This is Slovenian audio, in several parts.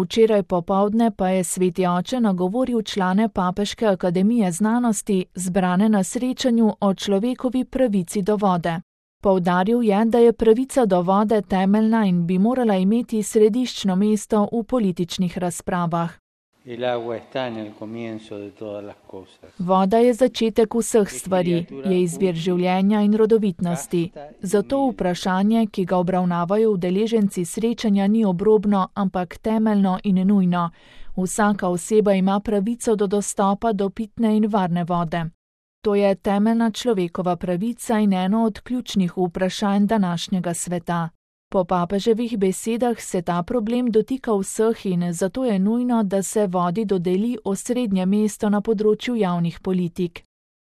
Včeraj popoldne pa je sveti oče nagovoril člane Papeške akademije znanosti, zbrane na srečanju o človekovi pravici do vode. Poudaril je, da je pravica do vode temeljna in bi morala imeti središčno mesto v političnih razpravah. Voda je začetek vseh stvari, je izvir življenja in rodovitnosti. Zato vprašanje, ki ga obravnavajo udeleženci srečanja, ni obrobno, ampak temeljno in nujno. Vsaka oseba ima pravico do dostopa do pitne in varne vode. To je temeljna človekova pravica in eno od ključnih vprašanj današnjega sveta. Po papeževih besedah se ta problem dotika vseh in zato je nujno, da se vodi dodeli osrednje mesto na področju javnih politik.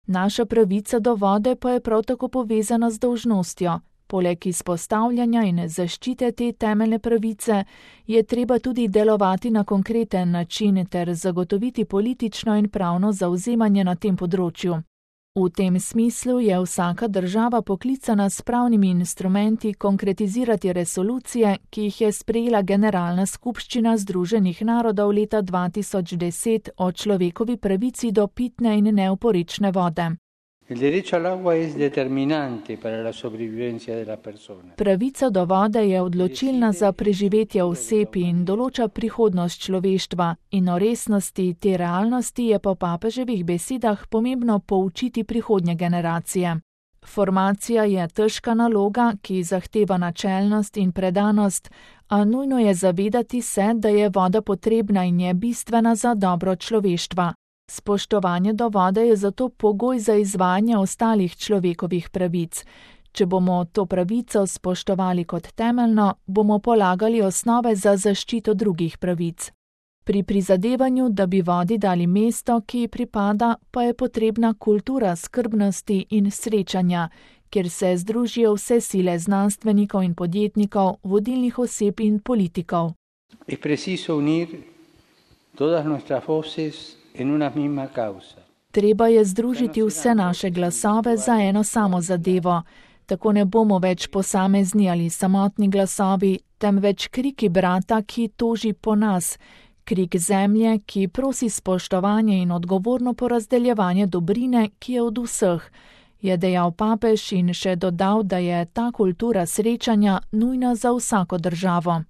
Naša pravica do vode pa je prav tako povezana z dolžnostjo. Poleg izpostavljanja in zaščite te temeljne pravice je treba tudi delovati na konkreten način ter zagotoviti politično in pravno zavzemanje na tem področju. V tem smislu je vsaka država poklicana s pravnimi instrumenti konkretizirati resolucije, ki jih je sprejela Generalna skupščina Združenih narodov leta 2010 o človekovi pravici do pitne in neoporečne vode. Pravica do vode je odločilna za preživetje oseb in določa prihodnost človeštva, in o resnosti te realnosti je po papeževih besedah pomembno poučiti prihodnje generacije. Formacija je težka naloga, ki zahteva načelnost in predanost, a nujno je zavedati se, da je voda potrebna in je bistvena za dobro človeštva. Spoštovanje do vode je zato pogoj za izvajanje ostalih človekovih pravic. Če bomo to pravico spoštovali kot temeljno, bomo polagali osnove za zaščito drugih pravic. Pri prizadevanju, da bi vodi dali mesto, ki ji pripada, pa je potrebna kultura skrbnosti in srečanja, kjer se združijo vse sile znanstvenikov in podjetnikov, vodilnih oseb in politikov. Es preciso unir todas nuestras voces in una misma causa. Treba je združiti vse naše glasove za eno samo zadevo. Tako ne bomo več posamezni ali samotni glasovi, temveč kriki brata, ki toži po nas, krik zemlje, ki prosi spoštovanje in odgovorno porazdeljevanje dobrine, ki je od vseh, je dejal papež in še dodal, da je ta kultura srečanja nujna za vsako državo.